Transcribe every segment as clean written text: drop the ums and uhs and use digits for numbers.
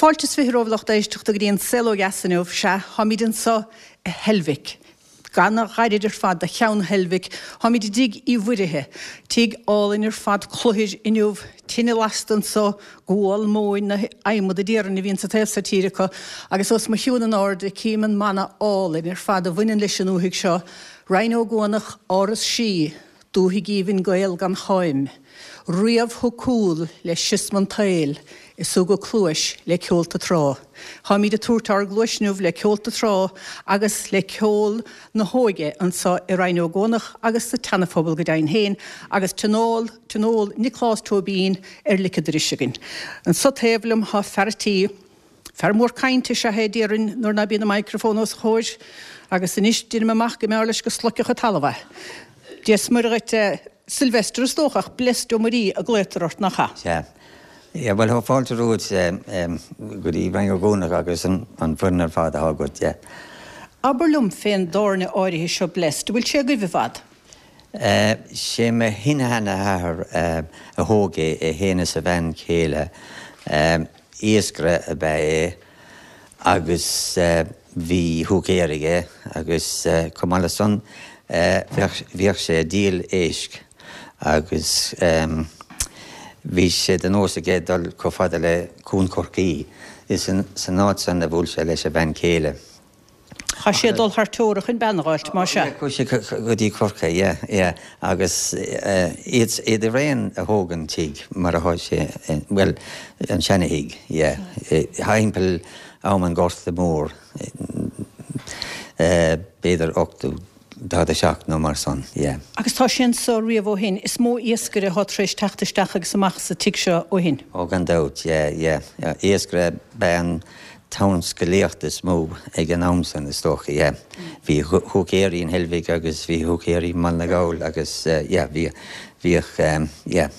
Fáilte is 20 romhaibh lucht éisteachta go dtí an Saol Ó Dheas inniu. Sea, táimid anseo i Heilbhic. Ana-ghairid ar fad do Cheann Heilbhic. Táimid i dTigh Uí Mhuirithe. Tigh álainn ar fad, cluthair inniu, tine lasta anseo, gual, móin, nó adhmad a déarfainn a bhíonn sa taobh so tíre acu. Agus os mo chionn in airde cím an mana álainn ar fad a bhaineann leis an ndúthaigh seo, Rinn Ó gCuanach, Áras Sí, Dúthaigh aoibhinn Gael gan cháim. Riamh thug cúl le siosma an tsaoil is thug a cluais le ceolta trá. Táimid ag tabhairt ár gcluais inniu le ceolta trá agus le ceol na hóige anseo i Rinn Ó gCuanach agus sa tSeana-Phobal go deimhin féin agus tionól, Tionól Nioclás Tóibín ar lic an dorais againn. Anseo taobh liom tá fear a' tí. Fear mór cainte is ea é, déarfainn, nuair ná bíonn an microphone os a chomhair, agus anois deinim amach go mb'fhearr leis go sloigfeadh an talamh é. Dia 's Muire dhuit, a Sylvester, is dócha, ach Blessed Ó Muirí a glaotar ort, nach ea? Sea. Yeah, bhuel, tá fáilte romhat go dtí Rinn Ó gCuanach agus an foireann ar fad atá agat, yeah. Abair liom fén dtábhairne áirithe seo Blessed, an bhfuil sé agaibh i bhfad? Sé mo shin-sheanathair a thóg é, é fhéin is a bhean chéile. Iascaire ab ea é agus bhí húicéir aige agus chomh maith le san bhíodh sé ag díol éisc agus bhí sé de nós aige dul chomh fada le Cuan Chorcaí. Is san áit san a bhuail sé leis a bhean chéile. Chaith sé dul thar teora chun bean a dh'fháilt, más ea. Chuaigh sé go dtí Corcaigh, yeah, yeah, agus iad, iad araon a thóg an tigh mar atá sé, bhuel, an seana-thigh, yeah, thimpeall am an Ghorta Mhóir, b'fhéidir 1847 nó mar san, yeah. Agus tá sé anso riamh ó shin. Is mó iascaire atá tar éis teacht isteach agus amach sa tigh seo ó shin. Ó gan dabht, yeah, yeah. Iascaire ab ea an tionscalaíocht is mó ag an am san, is dócha, yeah. Bhí húicéirí in Heilbhic agus bhí húicéirí i mBaile na nGall agus yeah, bhí, bhíodh, yeah.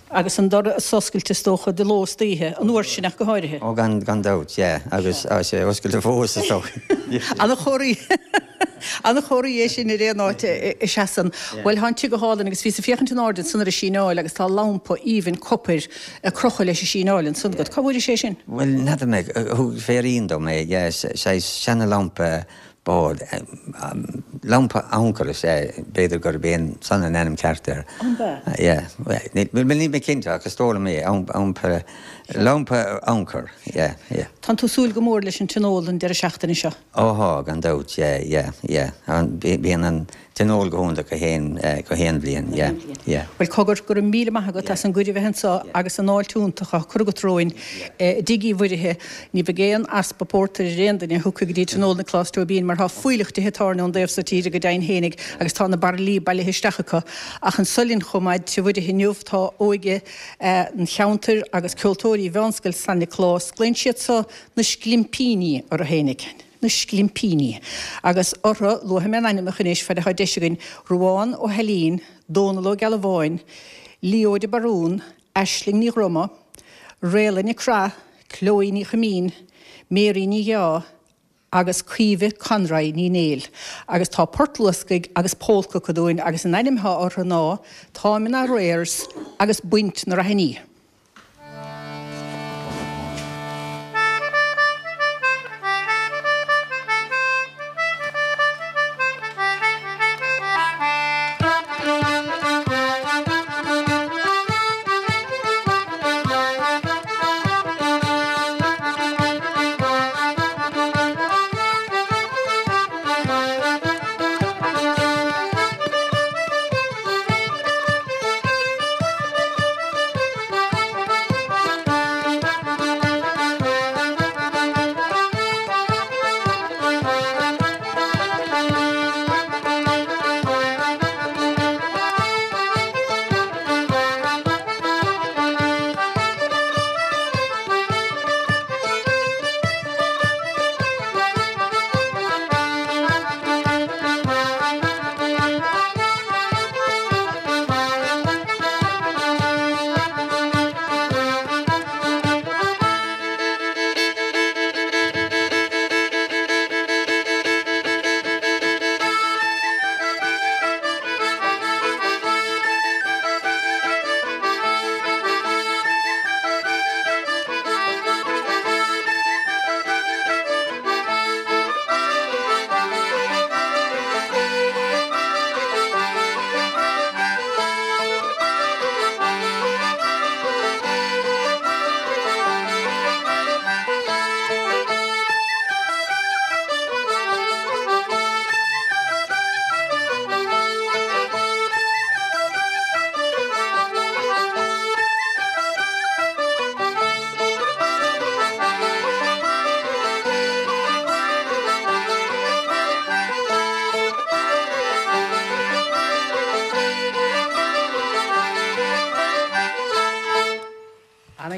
Agus an doras oscailte is dócha de ló is d'oíche, an uair sin ach go háirithe. Ó gan, gan dabht, yeah. Agus tá sé oscailte fós is dócha. An-chomhartha, an-chomhartha é sin ar aon áit a seasann. Bhuel, tá an tigh go hálainn agus bhíos ag féachaint in airde ansan ar an síneáil agus tá lampa aoibhinn copair ag crochadh leis an síneáil ansan agat. Cá bhfuairis é sin? Bhuel, n'fheadar mé. Thug féirín dom é, yeah, saghas seana-lampa bád. Lampa ancaire is ea, b'fhéidir gurb é san an ainm ceart air. An ea? Yeah. Bhuel, níl mé cinnte ach is dóigh liom é, lampa, lampa ancaire, yeah, yeah. Tánn tú ag súil go mór leis an tionól an deireadh seachtaine seo? Ó thá, gan dabht, yeah, yeah, yeah. Bíonn an Tionól go hiontach gach aon, gach aon bhliain, yeah, yeah. Bhuel, cogar, go raibh míle maith agat as an gcuireadh bheith anseo agus an fháilte iontach á cur agat romhainn i dTigh Uí Mhuirithe. Ní bheidh aon easpa pórtair ar aon duine a thiocfaidh go dtí Tionól Nioclás Tóibín mar tá fuílleach tithe tábhairne ón dtaobh so tíre go deimhin fhéinig agus tá na bairillí bailithe isteach acu. Ach anso linn chomh maith i dTigh Mhuirithe inniu tá óige an cheantair agus ceoltóirí Mheánscoil San Nioclás. Glaonn siad so na Sclimpíní orthu fhéinig. na Sclimpíní. Agus orthu, luafaidh mé a n-ainmneacha anois, fad atá deis againn, Ruán Ó hAilín, Dónal Ó Gealbháin, Leo de Barún, Aisling Ní Dhroma, Réala Nic Craith, Chloe Ní Chuimín, Mary Ní Dheá agus Caoimhe Conroy Ní Néill. Agus tá port luascaigh agus pólca acu dúinn agus an ainm atá orthu ná Táim in Arrears agus Baint na Raithiní.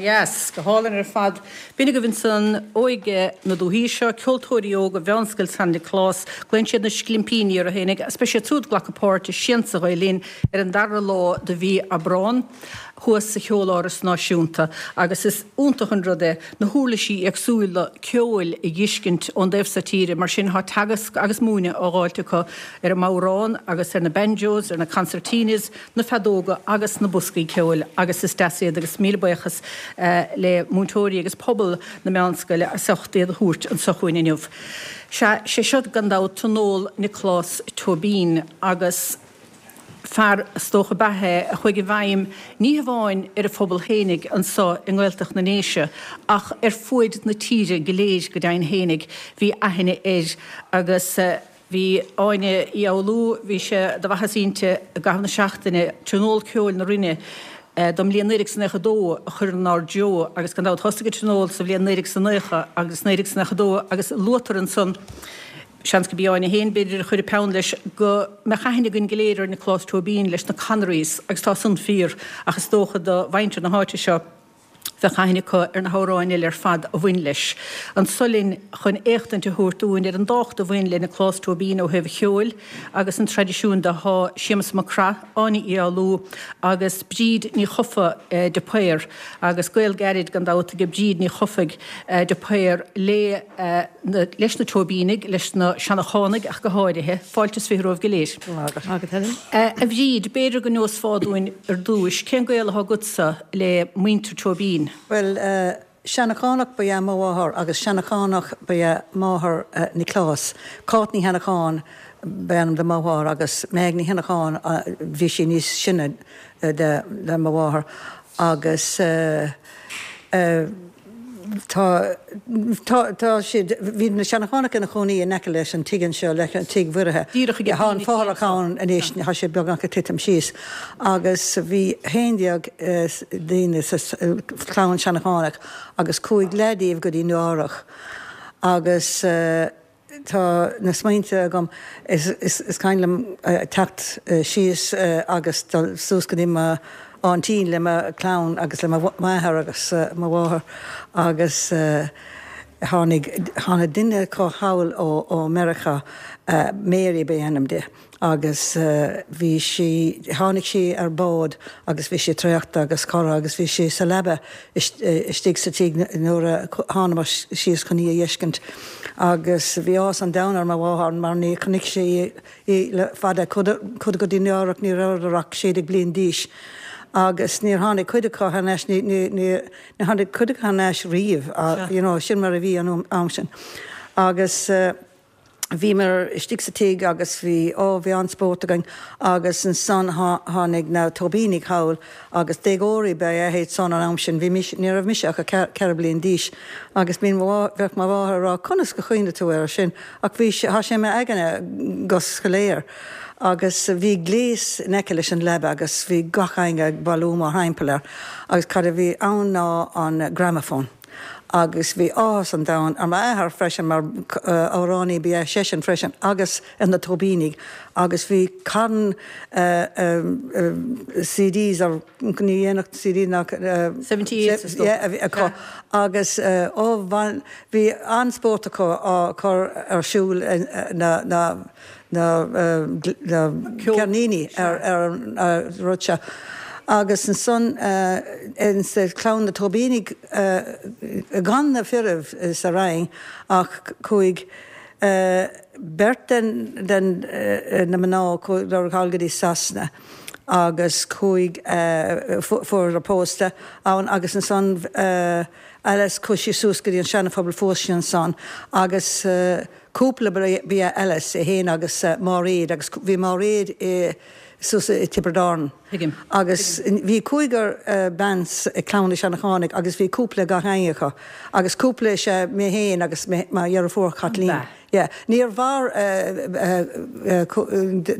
Ana-dheas. Go hálainn ar fad. B'in agaibh ansan óige na dúthaí seo, ceoltóirí óga Mheánscoil San Nioclás. Glaonn siad na Sclimpíní orthu fhéinig agus beidh siad súd ag glacadh páirt i Siansa Ghael Linn ar an dara lá de mhí Aibreán thuas sa Cheoláras Náisiúnta agus is iontach an rud é na huirlisí éagsúla ceoil a dh'fheiscint ón dtaobh so tíre mar sin thá teagasc agus múineadh á dh'fháilt acu ar an mbodhrán agus ar na banjos, ar na concertinas, na feadóga agus na boscaí ceoil agus is deas iad agus míle buíochas le múinteoirí agus pobal na meánscoile as ucht iad a thabhairt anso chugainn inniu. Sea, sé seo gan dabht Tionól Nioclás Tóibín agus fear is dócha ab ea é a chuaigh i bhfeidhm ní hamháin ar a phobal fhéinig anso i nGaeltacht na nDéise ach ar fuaid na tíre go léir go deimhin fhéinig bhí aithne air agus Bhí Áine Uí Fhoghlú, bhí sé de mhaitheas inti i gcaitheamh na seachtaine, Tionól Ceoil na Rinne don mbliain 1992 a chur inár dtreo agus gan dabht thosaigh an Tionól sa bhliain 1990 agus 1992 agus luaitear ansan, seans go b'í Áine féin b'fhéidir a chuir an peann leis, go mbeadh aithne againn go léir ar Nioclás Tóibín leis na Connerys agus tá san fíor ach is dócha do mhuintir na háite seo, Bheadh aithne acu ar na hamhráin eile ar fad a bhain leis. Anso linn chun éachtaint a thabhairt dúinn ar an dtábhacht a bhain le Nioclás Tóibín ó thaobh an cheoil agus an traidisiúin de thá Séamus Mac Craith, Áine Uí Fhoghlú agus Bríd Ní Chofaigh de Paor agus gaol gairid gan dabht ag Bríd Ní Chofaigh de Paor le leis na Tóibínigh, leis na Seanachánaigh ach go háirithe. Fáilte is 20 romhaibh go léir. Maith agat Helen. A Bhríd, b'fhéidir go neosfá dúinn ar dtúis, cén gaol atá agatsa le muintir Tóibín? Bhuel, Seanachánach ba ea mo mháthair agus Seanachánach ba ea máthair Niocláis. Cáit Ní Sheanacháin ba ainm do mo mháthair agus Meaig Ní Sheanacháin, bhí sí níos sine de mo mháthair agus eh, Tá, tá, tá siad, bhí na Seanachánaigh ina chónaí in aice leis an tigh anseo, leis an tigh Mhuirithe. Díreach ag Tá an fothrach ann anois, tá sé beagnach ag titim síos. Agus bhí 11 daoine sa chlann Seanachánach agus chuaigh leath díobh go dtí Nua Eabhrac. Agus. Tá na smaointe agam. Is cuimhin liom teacht síos agus dul suas go dtí mo aintín le mo chlann agus le m'athair agus mo mháthair agus tháinig, tháinig duine acu thall ó Meiriceá, Mary ba ainm di. agus bhí sí, tháinig sí ar bád agus bhí sí traochta agus cortha agus bhí sí sa leaba istigh sa tigh nuair a thánamar síos chun í a dh'fheiscint agus bhí áthas an domhain ar mo mháthair mar ní chonaic sí í le fada, chuadar go dtí Nua Eabhrac ní rabhadar ach 16 bliain d'aois agus níor tháinig cuid acu thar n-ais, ní, ní, ní tháinig cuid acu thar n-ais riamh, you know, sin mar a bhí an am sin agus. Bhíomar istigh sa tigh agus bhí, ó, bhí an-spórt againn agus ansan tháinig na Tóibínigh thall agus déagóirí ba ea iad san an am sin, bhí mise, ní raibh mise ach 4 bliain d'aois agus bíonn mo, bheadh mo mháthair ag rá conas go chuimhnigh tú air sin ach bhí sé, thá sé i m'aigne go soiléir agus bhí gléas in aice leis an leaba agus bhí gach éinne ag bailiú mar thimpeall air agus cad a bhí ann ná an gramophone. agus bhí áthas an domhain ar m'athair freisin mar amhránaí ba ea seisean freisin agus ar na Tóibínigh agus bhí carn CDs ar ní dhéanfadh CD ná 78 is dócha. a bhí acu agus ó bhí an-spórt acu á cur ar siúl na na na ceirníní ar an rud seo. Agus ansan insa chlann na Tóibínigh gan na fir sa Rinn ach chuaigh beirt den na mná chuadar thall go dtí Sasana agus chuaigh fuaireadar pósta ann agus ansan Alice chuaigh sí suas go dtí an Seana-Phobal phós sí ansan agus Cúpla ba ea Alice é féin agus Máiréad agus bhí Máiréad i suas i Tiobraid Árann. Tuigim. Agus bhí cúigear bean i gclann na Seanachánaigh agus bhí cúpla gach éinne acu agus cúpla is ea mé féin agus mo dheirfiúr Caitlín. Ba. Yeah. Níor mhair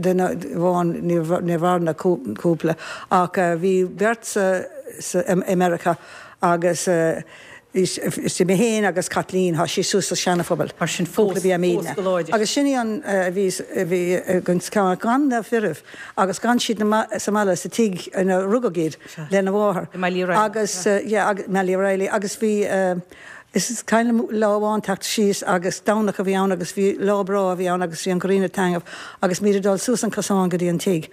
duine amháin, níor mhair na cúpla ach bhí beirt sa i Meiriceá agus. Is í mé féin agus Caitlín, thá sí suas sa Seana-Phobal. Mar sin fós, fós go láidir. Agus sin í an a bhí, a bhí againn gan na firibh agus d'fhan siad sa mbaile sa tigh ina rugadh iad lena mháthair. I mBaile Uí Raghallaigh. Agus, yeah, agus, i mBaile Uí Raghallaigh agus bhí, is cuimhin liom lá amháin teacht síos agus Domhnach a bhí ann agus bhí lá breá a bhí ann agus bhí an ghrian ag taitneamh agus muid ag dul suas an cosán go dtí an tigh.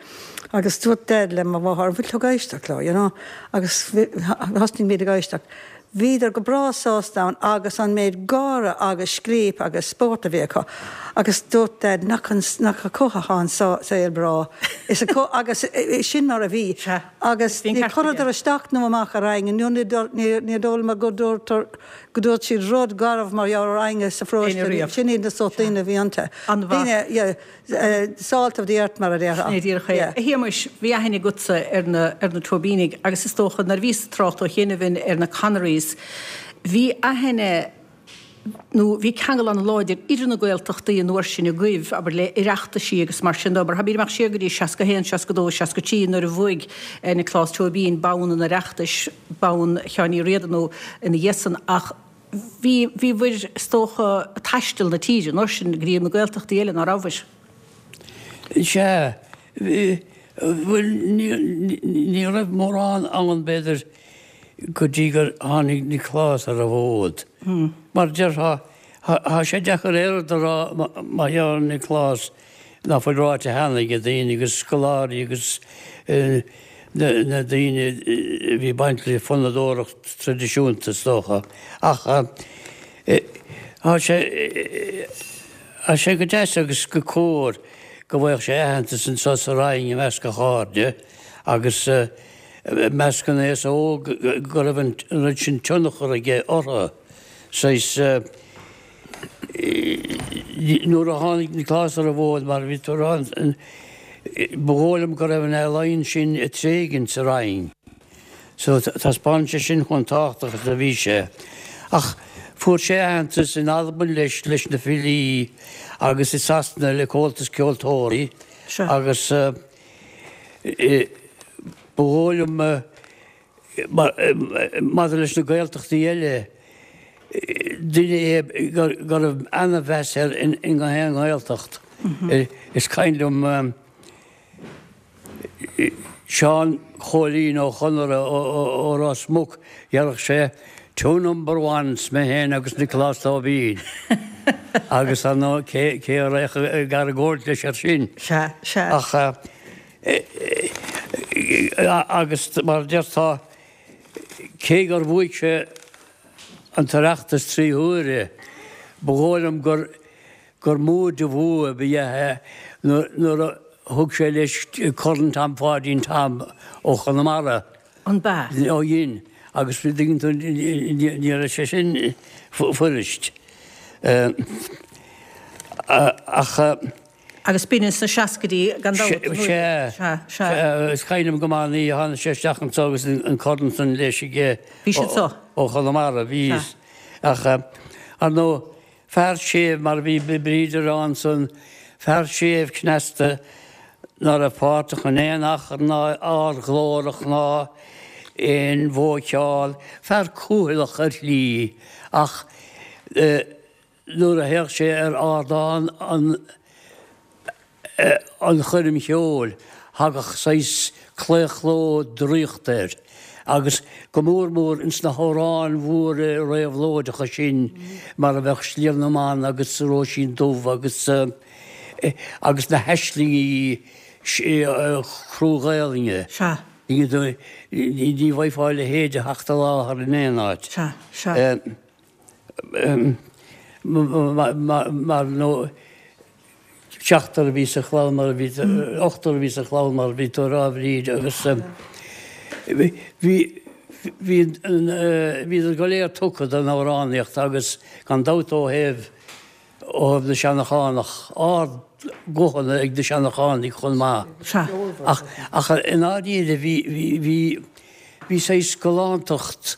Agus dúirt Dad le mo mháthair, an bhfuil tú ag éisteacht leo, you know? Agus thosnaigh muid ag éisteacht. Bhíodar go breá sásta ann agus an méid gáire agus scléip agus spórt a bhí acu. Agus dúirt Dad, nach nach acu atá an saol breá. Is acu agus sin mar a bhí. Sea. Agus Bhí an ní ceart aige. chuireadar isteach nó amach ar éinne nó ní ní dóigh liom go dúirt go dúirt siad rud garbh mar gheall ar éinne sa pharóiste. Éinne riamh. Sin iad na sórt Sea. daoine a bhí iontu. An-mhaith. Daoine, yeah. Salt of the earth mar a déarfá. Sin é díreach é. A Shéamuis, bhí aithne agatsa ar na, ar na Tóibínigh agus is dócha nuair a bhíos ag trácht ó chianaibh ar na Connerys, bhí aithne nó bhí ceangal an-láidir idir na Gaeltachtaí an uair sin agaibh, abair le Oireachtaisí agus mar sin de. Mar táimid ag imeacht siar go dtí 61, 62, 63 nuair a bhuaigh Nioclás Tóibín bonn an Oireachtais, bonn Sheáin Uí Riada nó ina dhiaidh san ach, Bhí, bhíobhair, is dócha, ag taisteal na tíre an uair sin go dtí na Gaeltachtaí eile, ná rabhabhair? Sea, bhí, bhuel, ní, ní raibh mórán ann, b'fhéidir, go dtí gur tháinig Nioclás ar an bhfód. Mar déarfá, thá sé deacair aon rud a rá mar gheall ar Nioclás ná fuil ráite cheana ag daoine agus scoláirí agus na daoine a bhí ag baint le fonnadóireacht traidisiúnta is dócha. Ach tá sé tá sé go deas agus go cóir go bhfaigheadh sé aitheantas anseo sa Rinn i measc a chairde agus i measc an aosa óg go raibh an rud sin tionchar aige orthu. Saghas. Nuair a tháinig Nioclás ar an bhfód, mar a bhí tú a rá, ba dhóigh liom go raibh an ealaín sin ag tréigint sa Rinn. So taispeánann sé sin chomh tábhachtach is a bhí sé. Ach fuair sé aitheantas in Albain leis, leis na filí agus i Sasana le Comhaltas Ceoltóirí agus ba dhóigh liom Maidir leis na Gaeltachtaí eile, duine é go raibh ana-mheas air i ngach aon Ghaeltacht. Is cuimhin liom Seán Chóilín Ó Conaire ó Ros Muc, dhéarfadh sé, Two number ones, mé féin agus Nioclás Tóibín. Agus ar ndóigh, cé a raghadh ag argóint leis air sin? Sea, sea. Ach. Agus mar a déarfá, cé gur bhuaigh sé an tOireachtas 3 huaire, ba dhóigh liom gur gur mó de bhua a ba ea é nuair a thug sé leis Corn Tom Pháidín Tom ó Chonamara. An b'ea? Ó dhein. Agus tuigeann tú, ní raibh sé sin fuirist. Ach. Agus b'in sna seascaidí gan dabht, an uair? Sea, sea. Is cuimhin liom go maith an oíche a tháinig sé isteach anseo agus an corn san leis aige. Bhí sé anseo? Ó Chonamara, bhí. Ach, ar ndóigh, fear séimh mar a bhí Bríd a rá ansan, fear séimh cneasta ná raibh páirteach in aon achrann ná ardghlórach ná aon bhuaiccheol, fear cúthaileach ar shlí ach, Nuair a théadh sé ar ardán an an choirm cheoil thagadh saghas claochló draíochta air agus go mór mór ins na hamhráin mhóra réabhlóideacha sin mar a bheadh Sliabh na mBan agus Róisín Dubh agus agus na haislingí crua-Ghaelainne. Sea. Ní bhfaighfeá a leithéid a theacht i láthair in aon áit. Sea, sea. mar nó seachtar a bhí sa chlann mar a bhí, ochtar a bhí sa chlann mar a bhí tú a rá a Bhríd agus bhí, bhí, bhíodar go léir tugtha don amhránaíocht agus gan dabht ó thaobh, ó thaobh na Seanachánach, ard-ghuthanna ag na Seanachánaigh chomh maith. Ach, ach i ndáiríre bhí, bhí, bhí, bhí saghas galántacht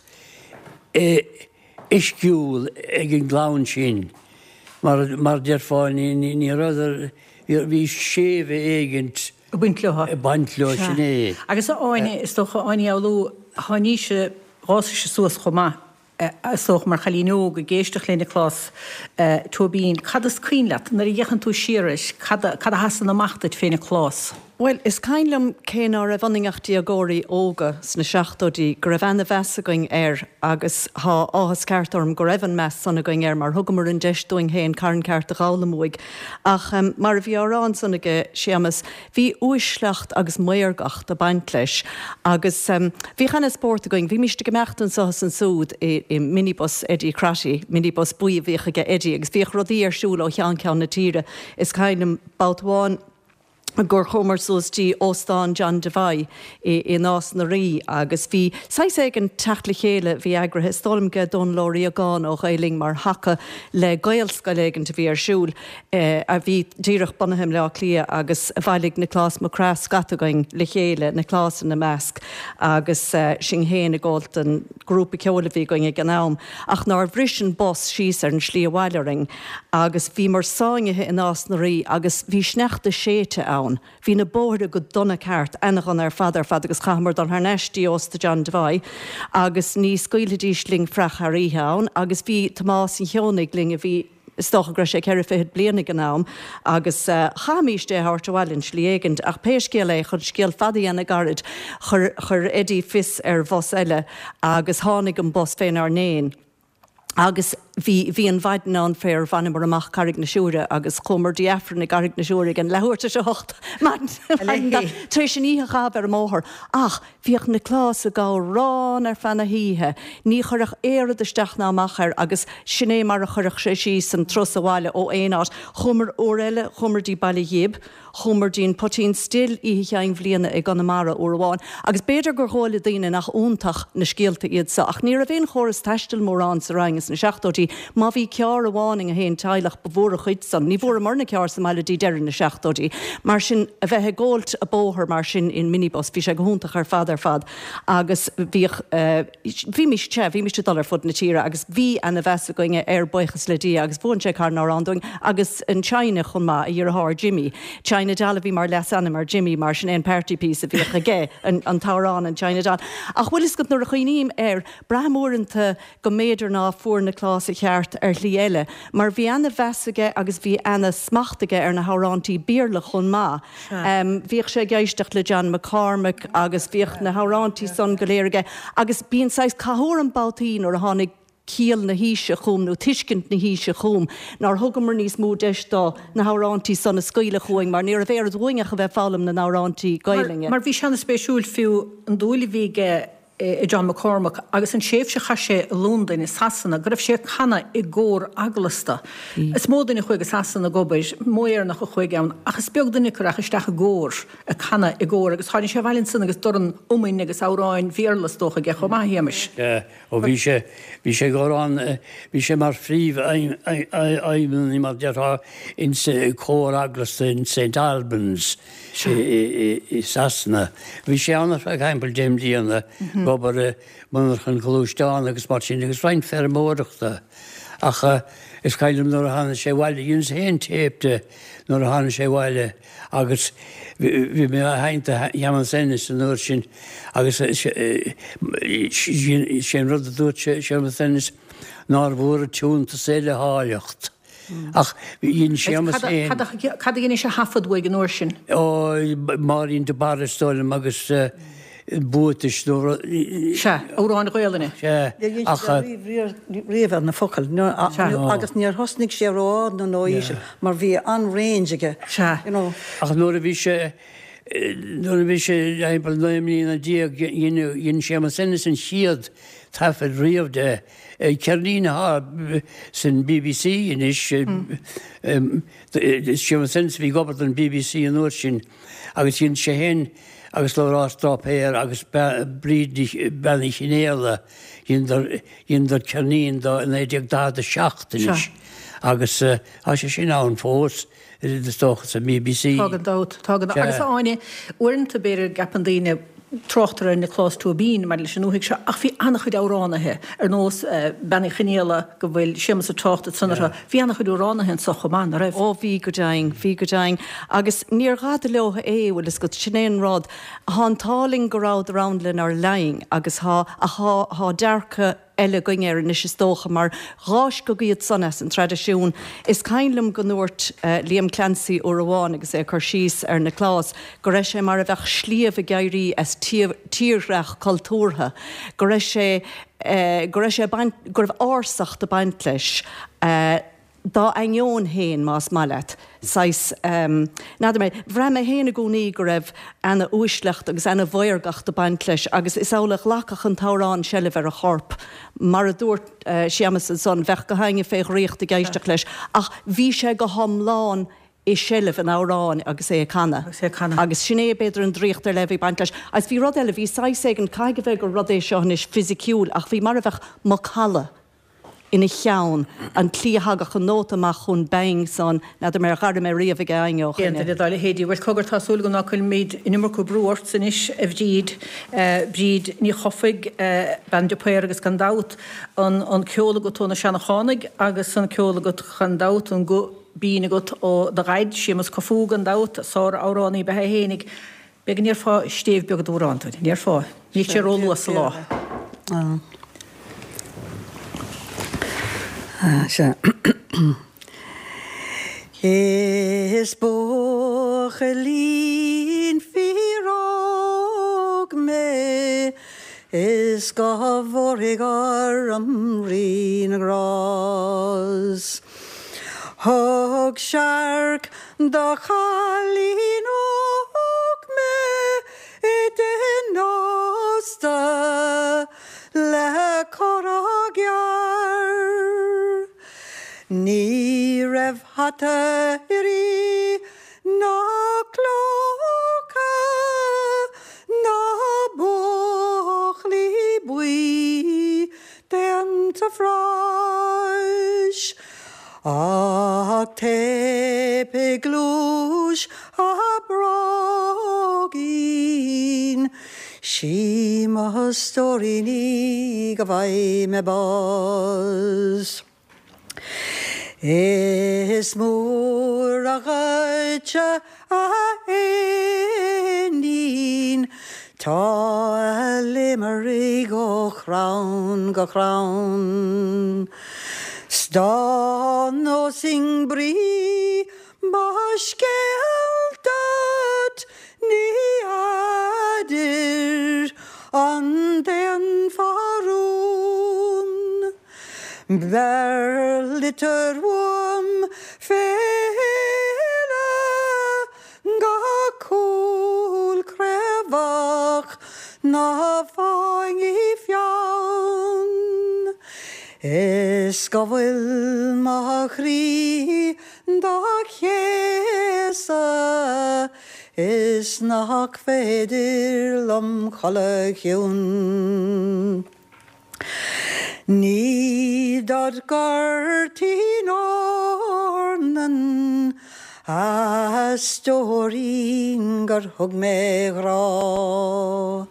i, uisciúil ag an gclann sin, mar mar déarfá, ní rabhadar, bhí séimhe éigint ag baint leo. ag baint leo, sin é. Agus a Áine, is dócha, Áine Ní Fhoghlú, tháinís, d'fhásaís suas chomh maith. Is dócha, mar chailín óg ag éisteacht le Nioclás Tóibín, cad is cuimhin leat, nuair a fhéachann tú siar air, cad a sheasann amach duit fé Nioclás? Bhuel, is cuimhin liom, cé ná raibh ionainn ach déagóirí óga sna seachtóidí, go raibh ana-mheas againn air agus thá áthas ceart orm go raibh an meas san againn air mar thugamar an deis dúinn féin carn ceart a dh'fhoghlaim uaidh. Ach mar a bhí á rá ansan aige Séamas, Bhí uaisleacht agus maorgacht ag baint leis agus bhíodh ana-spórt againn. Bhímíst ag imeacht anso is ansúd i minibus Eddie Crotty, minibus buí a bhíodh aige Eddie agus bhíodh rudaí ar siúl ó cheann ceann na tíre. Is cuimhin liom babhta amháin gur chuamar suas dtí Óstán John Devoy i Nás na Rí agus bhí saghas éigin teacht le chéile a bhí eagraithe, is dóigh liom, ag Dónal Ó Riagáin ó Ghael Linn mar thaca le Gaelscoil éigint a bhí ar siúl. a bhí díreach bunaithe i mBleá Cliath agus bhailigh Nioclás Mac Craith scata againn le chéile, Nioclás ina measc agus sinn féin ag gabháilt don grúpa ceoil a bhí againn ag an am ach nár bhris an bus síos ar an slí abhaile orainn agus bhíomar sáinnithe i Nás na Rí agus bhí sneachta séidte ann. Bhí na bóithre go dona ceart, ana-dhona ar fad ar fad agus chaitheamar dul thar n-ais dtí Ósta John Devoy agus ní scaoilfidís linn fraoch thar oíche ann agus bhí Tomás an Cheonaigh linn a bhí Is dócha go raibh sé ceithre fichid bliain ag an am agus chaithfimíst é a thabhairt abhaile in slí éigint. Ach pé scéal é, chun scéal fada a dhéanamh gairid, chuir, chuir Eddie fios ar bhus eile agus tháinig an bus fénár ndéin agus bhí, bhí an mhaidin ann fér bhaineamar amach Carraig na Siúire agus chuamar dtí Aifreann i gCarraig na Siúire ag an leathuair tar éis a hocht maidin, tar éis an oíche a chaitheamh ar an mbóthar. Ach Bhíodh Nioclás ag amhrán ar feadh na hoíche. Ní chuirfeadh aon rud isteach ná amach air agus sin é mar a chuirfeadh sé síos an turas abhaile ó aon áit. Chuamar uair eile, chuamar dtí Baile Ghib, chuamar dtí an Poitín Stil oíche Chinn Bhliana i gConamara uair amháin agus b'fhéidir gur dhóigh le daoine nach iontach na scéalta iad so ach ní raibh aon chóras taistil mórán sa Rinn ins na seachtóidí. Má bhí ceárr amháin i ngach aon teaghlach ba mhór an chuid san. Ní bhfuaireamarna ceárr sa mbaile dtí deireadh na seachtóidí. Mar sin, a bheith ag góilt a' bóthar mar sin in minibus, bhí sé go hiontach ar fad ar fad agus bhíodh, bhímís, sea, bhímís ag dul ar fud na tíre agus bhí ana mheas againne air, buíochas le Dia, agus mhúin sé carn amhrán dúinn agus an China chomh maith, a dheartháir Jimmy. China Doll a bhí mar leasainm ar Jimmy mar sin é an party piece a bhíodh aige, an t-amhrán, an China Doll. Ach bhfuil fhios agat nuair a chuimhním air, braithim uaireanta go mb'fhéidir ná fuair Nioclás a cheart ar shlí eile, mar bhí ana mheas aige agus bhí ana smacht aige ar na hamhráintí Béarla chomh maith. Bhíodh sé ag éisteacht le John McCormack agus bhíodh na hamhráintí san go léir aige agus bíonn saghas cathú orm babhtaí nuair a tháinig ciall na haoise chugam nó tuiscint na haoise chugam nár thugamar níos mó deis dó na hamhráintí san a scaoileadh chugainn mar ní raibh aon rud uainn ach a bheith ag foghlaim na n-amhráintí Gaelainne. Mar bhí sé ana-spéisiúil fiú an dúil a bhí aige i John McCormack agus an tréimhse a chaith sé i Londain i Sasana go raibh sé ag canadh i gcór eaglasta. Is mó duine a chuaigh go Sasana ag obair, mó Éireannach a chuaigh ann ach is beag duine acu a rachaidh isteach i gcór, ag canadh i gcór agus tháinig sé abhaile ansan agus dorn iomainn agus amhráin Bhéarla is dócha aige chomh maith, a Shéamais. Sea, ó bhí sé, bhí sé ag amhrán, bhí sé mar phríomhfheidhmeannaí mar déarfá insa cór eaglasta in St Albans. i Sasana. Bhí sé ann ar feadh timpeall deich mbliana ag obair i monarchan gluaisteán agus mar sin agus roinnt feirmeoireachta. Ach is cuimhin liom nuair a tháinig sé abhaile, dheineas féin téip de nuair a tháinig sé abhaile agus bhí mé á sheinnt do Shéamus Ennis an uair sin agus sé an rud a dúirt Séamus Ennis nár mhór an tiúntas é le háilleacht. Ach dhein Séamus féin. Cad a dheinis a thaifead uaidh an uair sin? Ó, Máirín de Barra is dóigh liom agus Buatais nó rud. Sea, amhráin Ghaolainne. Sea, ach. Níor dhein sé riamh ar na focail agus níor thosnaigh sé ró-ard nó ró-íseal mar bhí an-range aige. Sea. Ach nuair a bhí sé, nuair a bhí sé timpeall 19 mbliana dhein Séamus Ennis an chéad taifead riamh de. Ceirnín atá san bbc anois, Séamus Ennis a bhí ag obair don bbc an uair sin agus dhein sé féin agus Labhrás Dráipéir agus Bríd Bean Uí Chinéala, dheineadar ceirnín do i 1947 anois agus tá sé sin ann fós. Is dócha sa bbc. Tá gan dabht, tá gan dabht. Agus a Áine, uaireanta b'fhéidir gceapann daoine, tráchtar ar Nioclás Tóibín maidir leis an ndúthaigh seo, ach bhí an-chuid amhránaithe, ar nós Bean Uí Chinéala go bhfuil Séamus ag trácht ansan orthu, bhí an-chuid amhránaithe anso chomh maith, ná raibh? Ó bhí go deimhin, bhí go deimhin. Agus níor dhada leo é, bhfuil fhios agat, sin é an rud. Thá an t-ádh linn go rabhadar ann lenár linn agus thá, ach thá, thá dearcadh. eile againn air anois is dócha mar dh'fháisceadh iad san as an traidisiún. Is cuimhin liom go ndúirt Liam Clancy uair amháin agus é ag cur síos ar Nioclás go raibh sé mar a bheadh sliabh ag éirí as tírdhreach cultúrtha, go raibh sé, go raibh sé ag baint, go raibh ársacht ag baint leis. Dá ainneoin féin, más maith leat, saghas, n'fheadar mé, bhraith mé féin i gcónaí go raibh ana-uaisleacht agus ana-mhaorgacht ag baint leis agus is amhlaidh a ghlacfadh an t-amhrán seilbh ar a chorp. Mar a dúirt Séamas ansan, bheadh gach éinne fé dhraíocht ag éisteacht leis ach bhí sé go hiomlán i seilbh an amhráin agus é ag canadh. Agus é ag canadh. Agus sin é, b'fhéidir, an draíocht ar leith a bhí ag baint leis. Agus bhí rud eile, bhí saghas éigin, caithfidh a bheith gur rud é seo anois fisiciúil ach bhí mar a bheadh macalla ina cheann, an tslí a thagadh an nóta amach chomh binn san, n'fheadar mé ar dh'airigh mé riamh ag éinne ó Aon duine dá leithéidí. Bhuel, cogar, tá súil agam ná cuirfimid an iomarca brú ortsa anois, a Bhríd. Bríd Ní Chofaigh, bean de Paor agus gan dabht an an ceol agat ó na Seanachánaigh agus an ceol agat gan dabht, an guth binn agat ó do dhaid, Séamus Cufú gan dabht, sár-amhránaí ab ea é fhéinig. B'fhéidir go ndéarfá stéibh beag d'amhrán dúinn. An ndéarfá? Níl sé ró-luath sa lá. Sea. Is buachaillín fíor-óg mé is go bhfóirfidh orm Rí na nGrás. Thug searc do chailín óg mé i dtigh an ósta le comhrá gearr. Ní raibh hata uirthi ná clóca ná búclaí buí déanta phráis. Ach tape i gcluais a bróigín, 'Sí mo stóirín í go bhfaighidh mé bás. Is mór a dhuitse a éinín, tá a léimearthaigh ó chrann go crann. 'S dá neosfainn brí mo scéil duit ní fheadair an ndéanfá rún. Beir litir uaim fé shéala go Cúil Chraobhach ná fáing í feann. Is go bhfuil mo chroí dá chéasadh is nach féidir liom codladh chiúin. Ní dod ghoirtín eornan a stóirín gur thug mé grá,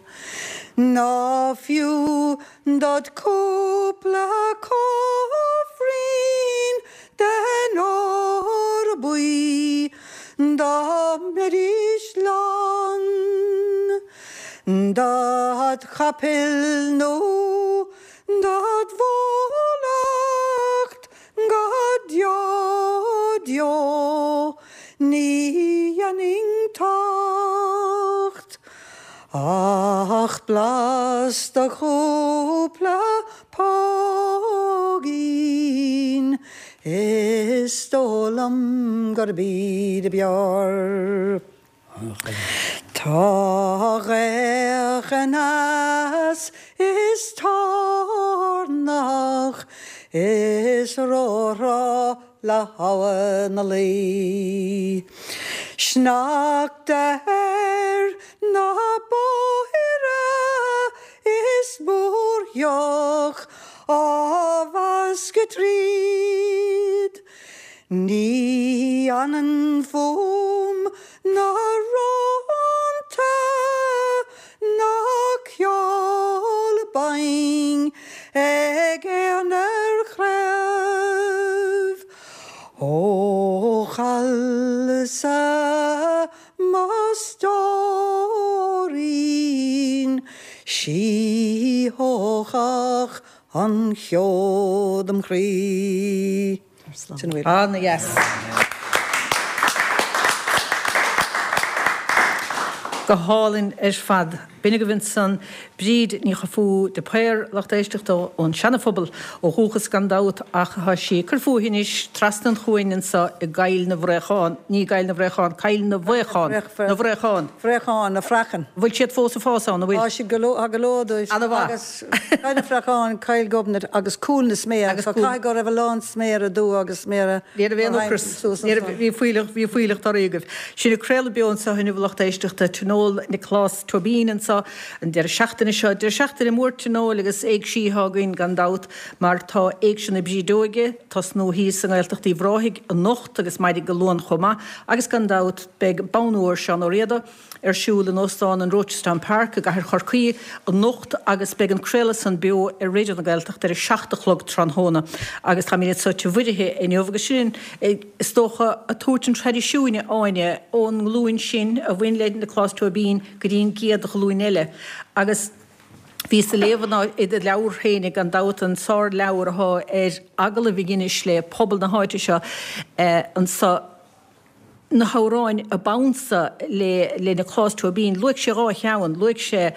ná fiú dod chúpla cóifrín den ór buí dá mbeidís lán. Dod chapaill nó dod bhólacht go deo deo ní dhéanfainn tocht ach blas do chúpla póigín is dóigh liom gurb iad ab fhearr. Tá gaoth aneas is toirneach is róthrá le habha na Laoi. Sneachta ar na bóithre is múrtheach á mheascadh tríd. Ní fhanann fúm ná rónta ná ceol binn ag éan ar chraobh. Ó chailleas-sa mo stóirín, 'sí thógfadh. An cheo dom chroí. Sin a bhfuil. Ana-dheas. Go hálainn ar fad. B'in agaibh ansan Bríd Ní Chofaigh de Paor, lucht éisteachta ón Seana-Phobal ó dhúchas gan dabht ach tá sí ag cur fúithi anois trasna an chuain anso i gCoill na bhFraochán, ní i gCoill na bhFraochán, Coill na bhFaochán, na bhFraochán. Fraochán, na Fraochán. Bhfuil siad fós ag fás ann, an bhfuil? Tá siad go leor, tá go leor dóibh. Ana-mhaith. Agus Coill na bhFraochán, Coill Ghobnait agus Cúl na Sméar. Agus Cúl. Caithfidh go raibh a lán sméara dubha agus sméara Ní raibh aon ocras, ní raibh, bhí fuílleach, bhí fuílleach torthaí agaibh. Sinn ag craoladh beo anseo inniu a lucht éisteachta, Tionól Nioclás Tóibín anseo an deireadh seachtaine seo. Deireadh seachtaine mór tionóil agus éigsí atá againn gan dabht mar tá Éigse na Brídeoige ag tosnú thíos i nGaeltacht Uíbh Ráthaigh anocht agus maidin Dé Luain chomh maith agus gan dabht beidh Bonn Óir Seán Ó Riada ar siúl in Óstán an Rochestown Park i gCathair Chorcaí anocht agus beidh an craoladh san beo ar Raidió na Gaeltachta ar a 7 a chlog tráthnóna agus táimid anso Tigh Mhuirithe inniu agus sin is dócha ag tabhairt an traidisiúin a Áine ón nglúin sin a bhain le Nioclás Tóibín go dtí an gcéad ghlúin eile agus Bhíos ag léamh i do leabhar féinig gan dabht, an sár-leabhar athá ar agallaimh a dheinis le pobal na háite seo anso, na hamhráin a b'ansa le le Nioclás Tóibín. Luaigh sé dhá cheann, luaigh sé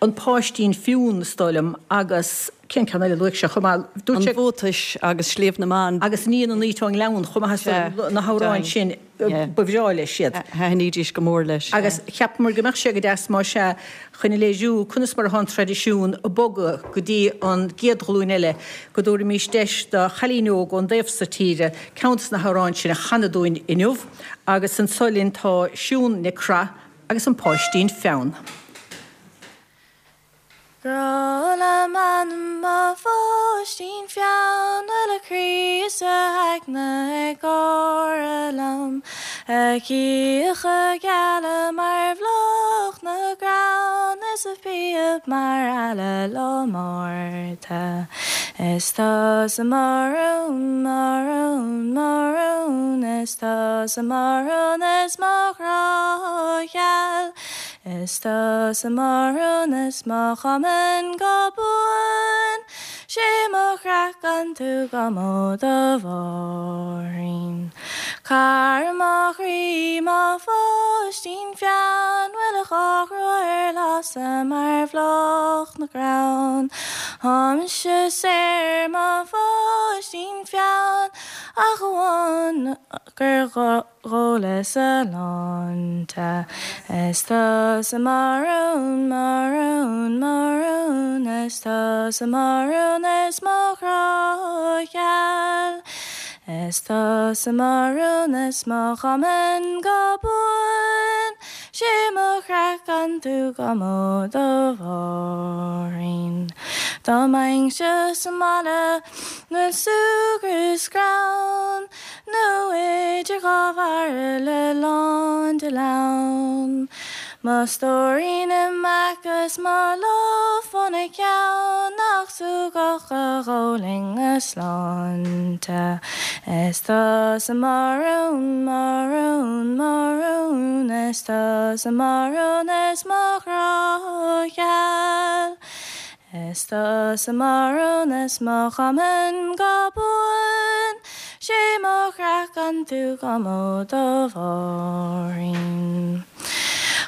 An Páistín Fionn, is dóigh liom, agus cén ceann eile a luaigh sé chomh maith? Dúirt sé. An Bhuatais agus Sliabh na mBan. Agus Iníon an Fhaoit ón nGleann chomh maith, is dóigh liom, na hamhráin sin, ba bhreá leis iad. Thaitnídís go mór leis. Agus cheapamar go mbeadh sé go deas más ea, chun a léiriú conas mar atá an traidisiún ag bogadh go dtí an gcéad ghlúin eile, go dtabharfaimis deis do chailín óg ón dtaobh so tíre ceann de na hamhráin sin a chanadh dúinn inniu. Agus anso linn tá Siún Nic Craith agus an Páistín Feann. Grá le m'anam mo pháistín feann 'Bhfuil a chroí is a aigne ag gáire liom A chíocha geala mar bhláth na gcrann Is a phíob mar eala lá Márta Is tusa mo rún, mo rún, mo rún Is tusa mo rún is mo ghrá gheal Is tusa mo rún is mo chumann go buan, 'Sé mo chreach gan tú 'gam ó do mháithrín. Cara mo chroí, mo pháistín feann, 'Bhfuil a dhá ghrua ar lasadh mar bhláth na gcrann. Tá mise saor, mo pháistín feann, Ach amháin gur Dhólas a shláinte. Is tusa mo rún, mo rún, mo rún, Is tusa mo rún is mo ghrá gheal. Is tusa mo rún is mo chumann go buan, 'Sé mo chreach gan tú 'gam ó do mháithrín. Dá mbeinnse sa mbaile 'na bhfuil súgradh is greann, Nó idir dhá bhairille lán de leann. Mo stóirín i m'aice 's mo lámh fána ceann Nach súgach a dh'ólfainn a sláinte. Is tusa mo rún, mo rún, mo rún Is tusa mo rún is mo ghrá gheal. Is tusa mo rún is mo chumann go buan, 'Sé mo chreach gan tú 'gam ó do mháithrín.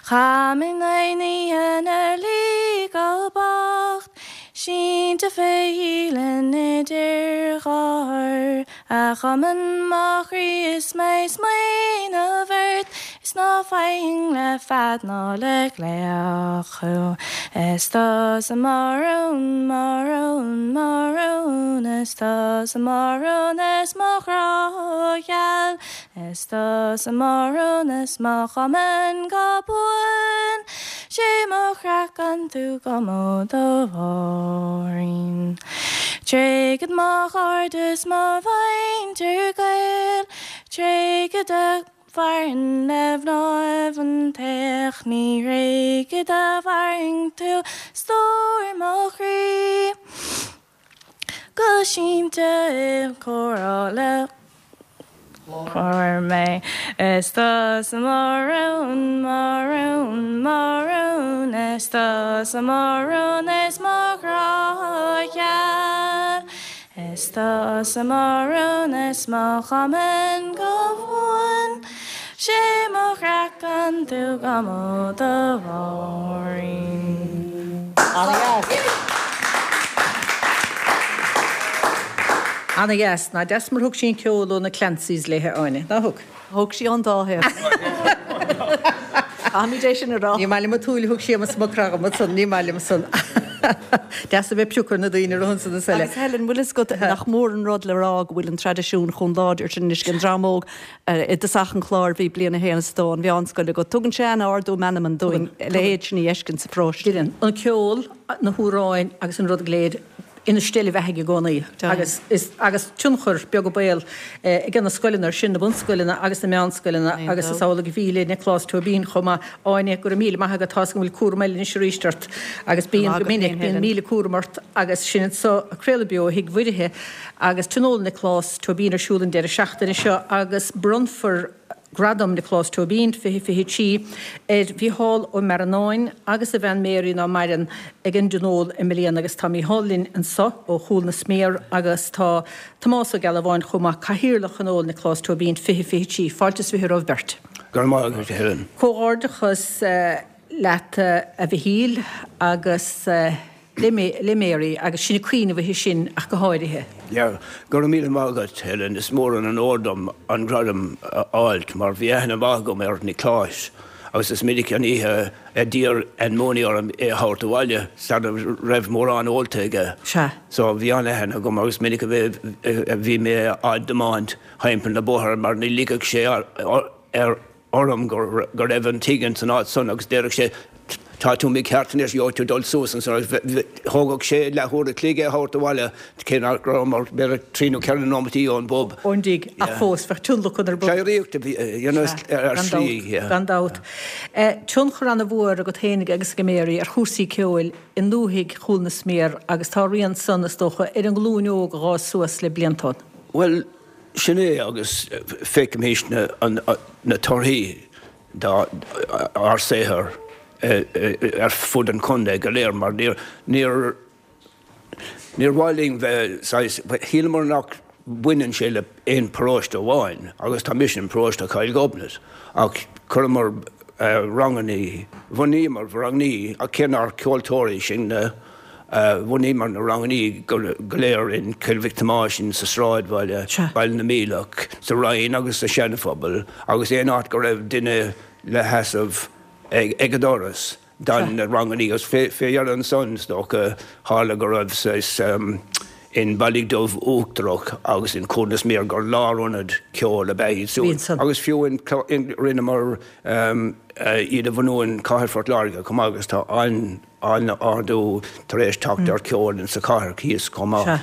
Chaith mé na hoíche 'na luí go bocht, Sínte fé dhialann idir dhá thor, A chumann mo chroí is mé ag smaoineamh ort Is ná faighinn le fead ná le glaoch thú Is tusa mo rún, mo rún, mo rún Is tusa mo rún is mo ghrá gheal Is tusa mo rún is mo chumann go buan 'Sé mo chreach gan tú 'gam ó do mháithrín. Tréigfead mo chairde is mo mhuintir gaoil, Tréigfead a mhairfinn le mnáibh an tsaoil, Ní thréigfead a mhairfinn tú stór mo chroí. Go sínte i gcomhrá le. Fuair mé. Is tusa mo rún, mo rún, mo rún, is tusa mo rún is mo ghrá gheal. Is tusa mo rún is mo chumann go buan, 'Sé mo chraiceann tú go mó do Mháirín. Ana-dheas. Ana-dheas. Nach deas mar thug sí an ceol ó na Clancys léi, a Áine, nár thug? Thóg sí ón dá thaobh. Caithfimid é sin a rá. Ní maith liom an tsúil a thug Séamus Mac Craith dhom ansan, ní maith liom san. Deas a bheith ag piocadh ar na daoine a rith ansan is eile. Agus Helen, bhfuil fhios agat nach mór an rud le rá go bhfuil an traidisiún chomh láidir sin anois ag an dream óg i dtosach an chláir bhí bliain a haon is a dó an mheánscoil agat. Tugann sé an-ardú meanman dúinn a leithéid sin a fheiscint sa pharóiste. Deireann. An ceol, na hamhráin agus an rud go léir ina steillebheathaidh i gcónaí agus is agus tionchar beag an baol ag na scoileanna ar sin, na bunscoileanna agus na meánscoileanna agus is amhlaidh a bhí le Nioclás Tóibín chomh maith. Áine, go raibh míle maith agat, tá's agam go bhfuil cúram eile anois arís ort agus bíonn go minic, bíonn míle cúram ort agus sinn anso ag craoladh beo ó Thigh Mhuirithe agus Tionól Nioclás Tóibín ar siúl an deireadh seachtaine seo agus bronnfar Gradam Nioclás Tóibín 2023 ar Mhícheál Ó Mearáin agus a bhean Mary ná maireann ag an dtionól i mbliana agus tá Mícheál linn anso ó Chúl na Sméar agus tá Tomás Ó Gealbháin chomh maith, Cathaoirleach Thionól Nioclás Tóibín 2023. Fáilte is 20 romhaibh beirt. Go raibh maith agat, a Helen. Comhghairdeachas leat a Mhichíl agus. le Mary agus sinn ag cuimhneamh uirthi sin ach go háirithe. Yeah, go raibh míle maith agat, Helen. Is mór an onóir dom an gradam a fháilt mar bhí aithne mhaith agam ar Nioclás agus is minic an oíche a d'iarr Ann Mooney orm é a thabhairt abhaile sara raibh mórán ólta aige. Sea. So bhí an-aithne agam agus minic a bhí mé á dtiomáint thimpeall na bóthair mar ní ligfeadh sé ar orm go raibh an tigh ins an áit san agus déarfadh sé tá tú mícheart anois, gheobhaidh tú dul suas ansan agus thógadh sé leath uair a chloig é a thabhairt abhaile cé nach rabhamar b'fhéidir trí nó ceithre nóimeataí ón bpub. ón dtigh ach fós bheadh tionlacan ar bun. Séiríocht a bhí ar slí, yeah. Gan dabht. Tionchar ana-mhór agat féinig agus ag Mary ar chúrsaí ceoil i ndúthaigh Chúl na Sméar agus tá a rian san, is dócha, ar an nglúin óg a dh'fhás suas le blianta. Bhuel, Sin é agus feicimís na torthaí dár saothar ar fud an chontae go léir mar níor níor mhaith linn bheith saghas, shíleamar nach mbaineann sé le aon paróiste amháin agus tá mise in paróiste Chill Ghobnait ach chuireamar rangannaí, bhunaíomar rangannaí ach cé nár ceoltóirí sinne, Bhunaíomar na rangannaí go léir in Cill Mhic Thomáis, in sa Sráidbhaile, Baile na Míleach, sa Rinn agus sa Seanphobal agus aon áit go raibh duine le sheasamh ag an doras don na rangannaí agus fé dheireadh ansan is dócha tharla go raibh saghas in Ballyduff Uachtarach agus in Cúl na Sméar gur lárionad ceoil ab ea iad siúd agus fiú in rinneamar iad a bhunú in Cathair Phort Láirge chomh maith agus tá an an-ardú tar éis teacht ar ceol in sa chathair thíos chomh maith. Sea.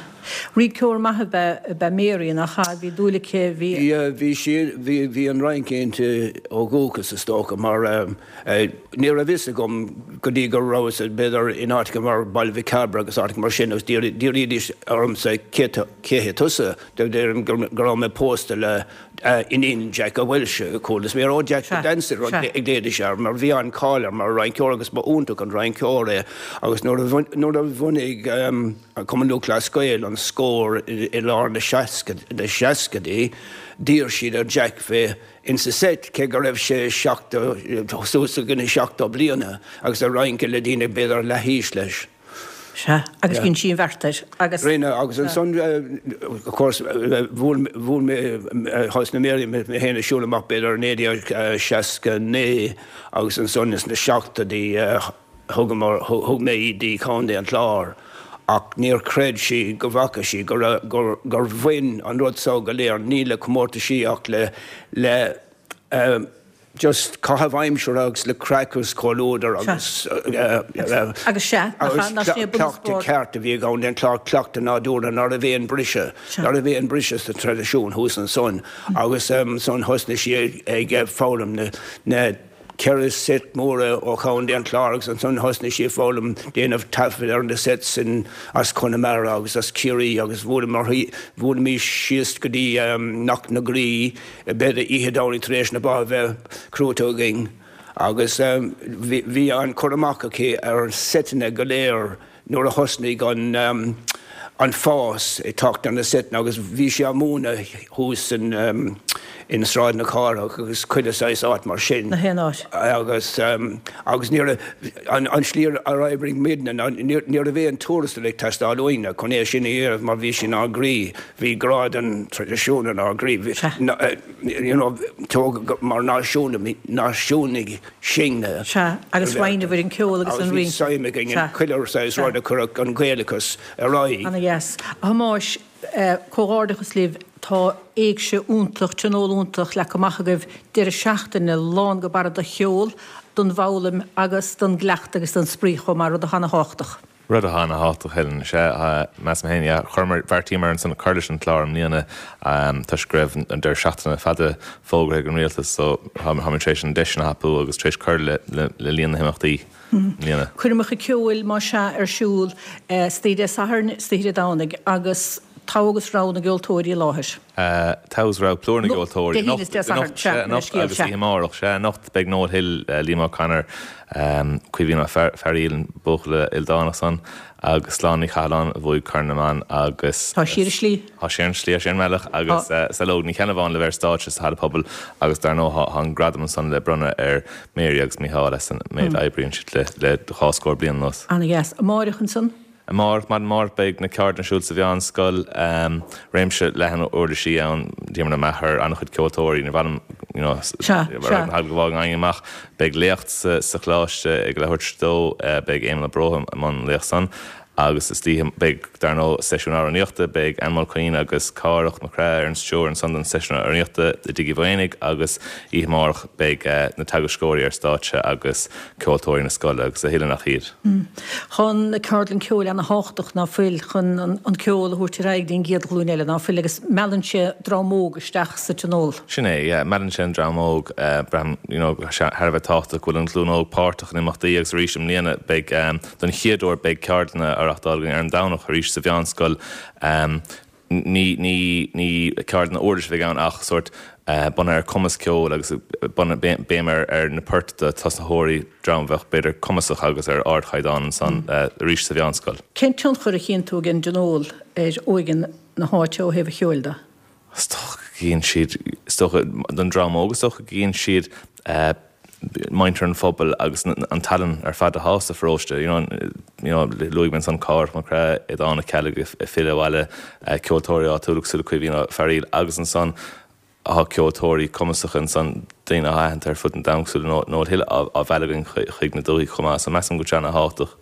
Rinceoir maith ab ea, ab ea Mary, nach ea? Bhí dúil aici, bhí. Yeah, bhí sí, bhí, bhí an rince inti ó dhúchas is dócha mar ní raibh fhios agam go dtí go rabhas b'fhéidir in áiteacha mar Baile Mhic Cairbre agus áiteacha mar sin agus d'iarraidís ormsa cé, cé hé tusa? Deirim go raibh mé pósta le iníon Jack Walsh, Cúl na Sméar, oh Jack the Dancer a ghlaoidís air mar bhí an-cháil air mar rinceoir agus ba iontach an rinceoir é agus nuair a bhunaigh Cumann Lúthchleas Gael an Scór i lár na seascaidí d'iarr siad ar Jack bheith insa seit cé go raibh sé seachtó suas go na 70 bliana agus ag rince le daoine b'fhéidir leathaois leis. Sea, agus dhein sí an bheart air, agus. Rinne, agus ansan, of course, bhuail mé, thosnaigh Mary mé féin ag siúl amach b'fhéidir i 1969 agus ansan ins na seachtóidí thugamar, thug mé í dtí Contae an Chláir ach níor chreid sí go bhfaca sí go raibh, gur bhain an rud so go léir ní le comórtaisí ach le, le, just caitheamh aimsire agus le craic agus comhluadar agus Agus sea, nach ea, nach sin é cleachtadh bunús ceart a bhí ag an Chlár, cleachtadh nádúrtha ná raibh aon briseadh, ná raibh aon briseadh sa traidisiún thuas ansan agus ansan thosnaigh sí ag foghlaim na. 4 seit móra ó Chontae an Chláir agus ansan thosnaigh sí ag foghlaim déanamh taifead ar na sets sin as Conamara agus as Ciarraí agus bhuaileamar, bhuailimis síos go dtí Cnoc na Graí b'fhéidir oíche Domhnaigh tar éis na ba a bheith crúite againn agus bhí an cur amach aici ar seiteanna go léir. nuair a thosnaigh an an fás ag teacht ar na seiteanna agus bhí sí á múineadh thuas in in Sráid na Cathrach agus chuile saghas áit mar sin. Na haon áit. Agus agus ní raibh an an slí ar oibrigh muidne ná ní ní raibh aon tuarastal ag teastáil uainne chun é sin a dhéanamh mar bhí sé inár gcroí, bhí grá don traidisiún inár gcroí. Bhí you know tógadh mar náisiúnaigh náisiúnaigh sinne. Sea, agus roinneabhair an ceol agus an rince. Agus bhí suim againn in chuile saghas rud a chuirfeadh an Gaelachas ar aghaidh. Ana dheas. A Thomáis, comhghairdeachas libh, tá éigse iontach, tionól iontach leagtha amach agaibh, deireadh seachtaine lán go barra de cheol, don bhfoghlaim agus don gcleachtadh agus don spraoi chomh maith, rud atá ana thábhachtach. Rud atá ana-thábhachtach, Helen, sea, measaim féin, yeah. Chuireamar, bheartaíomar ansan cur leis an chlár i mbliana toisc go raibh an deireadh seachtaine fada fógartha ag an rialtas so táimid tar éis an deis sin a thapú agus tar éis cur le líon na himeachtaí i mbliana. Coirmeacha ceoil, más ea, ar siúl istoíche Dé Sathairn, istoíche Dé Domhnaigh agus togha agus rogha na gceoltóirí i láthair. Togha agus rogha plúr na gceoltóirí. Dé haoine is Dé Sathairn, sea, anocht agus oíche amárach, sea, anocht beidh Noel Hill, Liam O'Connor, Caoimhín Ó Fearaíl, an buachaill ildánach san, agus Sláine Ní Chathalláin a bhuaigh Corn na mBan agus. Tá sí ar an slí. Tá sí ar an slí, tá sí ar an mbealach agus Saileog Ní Cheannabháin le bheith ar stáitse sa Halla Pobail agus dar ndóigh tá an gradam ansan le bronnadh ar Mary agus Mícheál as an méid a oibríonn siad le dhá scór bliain anuas. Ana-dheas. Amáireach ansan? Amárach, maidin amárach beidh na ceardlanna ar siúl sa Mheánscoil. Réimse leathan uirlisí ann, Diarmuid Ó Meachair, an-chuid ceoltóirí, níor mhaith liom you know Sea, sea. go bhfágfainn éinne amach. Beidh léacht sa choláiste ag leathuair tar éis a dó, beidh Éamonn Ó Bróithe i mbun an léacht san. Agus istoíche beidh, dar ndóigh, seisiún amhránaíochta, beidh Anne Mulqueen agus Cárthach Mac Craith ar an stiúir ansan don seisiún amhránaíochta i dTigh Uí Mhaonaigh agus oíche amárach beidh na teagascóirí ar stáitse agus ceoltóirí na scoile agus a thuilleadh nach iad. Tá na ceardlann ceoil ana thábhachtach ná fuil chun an ceol a thabhairt ar aghaidh dtí'n gcéad ghlúin eile ná fuil agus meallann sé dream óg isteach sa tionól. Sin é, yeah, meallann sé an dream óg, braithim, you know, tá sé thar a bheith tábhachtach go bhfuil an ghlúin óg páirteach in imeachtaí agus arís i mbliana beidh, don chéad uair beidh ceardlanna á reáchtáil againn ar an Domhnach arís sa mheánscoil, Ní, ní, ní ceardlanna uirlise a bheidh ann ach sórt bunaithe ar cumas ceoil agus bunaithe, béim ar, ar na poirt do tosnaitheoirí, dream a bheadh b'fhéidir cumasach agus ar ardchaighdeán ansan arís sa mheánscoil. Cén tionchar a chíonn tú ag an dtionól ar óige na háite ó thaobh an cheoil de? Is dócha go gcíonn siad, is dócha, don dream óg is dócha go gcíonn siad muintir an phobail agus an tallann ar fad atá sa pharóiste. You know, you know, luaigh mé ansan Cárthach Mac Craith, Aodhán Ó Ceallaigh ag filleadh abhaile, ceoltóirí áitiúla cosúil le Caoimhín Ó Fearaíl agus ansan tá ceoltóirí cumasacha ansan, daoine atá aitheanta ar fud an domhain cosúil le Noel Hill á mhealladh againn chuig na dúthaigh chomh maith. So measaim go bhfuil sé ana-thábhachtach.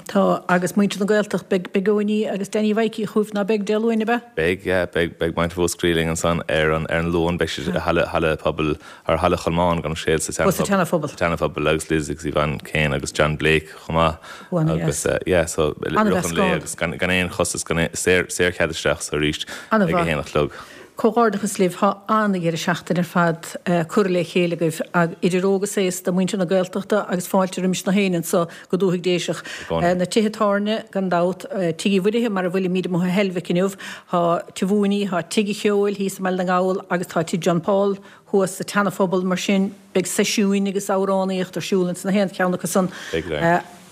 Tá, agus muintir na Gaeltachta, beidh, beidh Eoiní agus Danny Mhaidhcí chugaibh, ná beidh, Dé Luain, ab ea? Beidh, yeah, beidh, beidh muintir Mhúscraí linn ansan ar an, ar an Luan, beidh siad i halla, halla pobail, ar halla Cholmáin gabh mo leithscéal sa Ó, sa tSeana-Phobal. Sa tSeana-Phobal agus Liz agus Yvonne Kane agus John Blake chomh maith. Ó, ana-dheas. Agus, yeah, so, i rith an lae agus gan, gan aon chostas, gan aon, saor, saorchead isteach so arís ag a haon a chlog. Comhghairdeachas libh, tá an-dheireadh seachtaine ar fad curtha le chéile agaibh, idir óg is aosta, muintir na Gaeltachta agus fáilte roimis na héinne anso go Dúthaigh Déiseach. Na tithe tábhairne, gan dabht, Tigh Uí Mhuirithe mar a bhfuilimíd amuigh i Heilbhic inniu, tá Tigh Mhúiní, tá Tigh an Cheoil thíos i mBaile na nGall agus tá Tigh John Paul thuas sa tSeana-Phobal, mar sin beidh seisiúin agus amhránaíocht ar siúl ins na haon cheann acu san.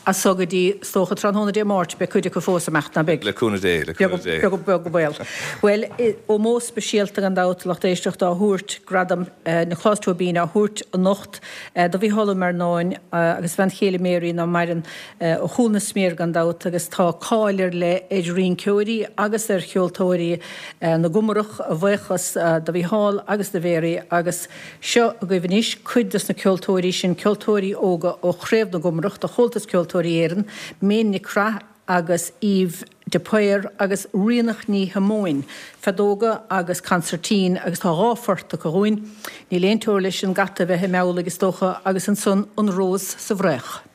As so go dtí, is dócha, tráthnóna Dé Máirt, beidh cuid acu fós ag imeacht, ná beidh? Le cúnamh Dé, le cúnamh Dé. Beag, beag an baol. Bhuel, ómós speisialta gan dabht, lucht éisteachta, á thabhairt, Gradam Nioclás Tóibín á thabhairt anocht do Mhícheál Ó Mearnáin agus a bhean chéile Mary, ná maireann, ó chúl na sméar gan dabht, agus tá cáil ar leith ar rinceoirí agus ar cheoltóirí na gComarach, a bhuíochas do Mhícheál agus do Mhary agus. Seo agaibh anois cuid dos na ceoltóirí sin, ceoltóirí óga ó Chraobh na gComarach de Chomhaltas Ceoltóirí Éireann, Méin Nic Craith agus Eve de Paor agus Ríonach Ní Shíomóin, feadóga agus consairtín agus tá dhá phort acu dhúinn, Níl aon teora leis an gcat a bheith i mbeabhlaigh is dócha agus ansan An Rós sa bhFraoch.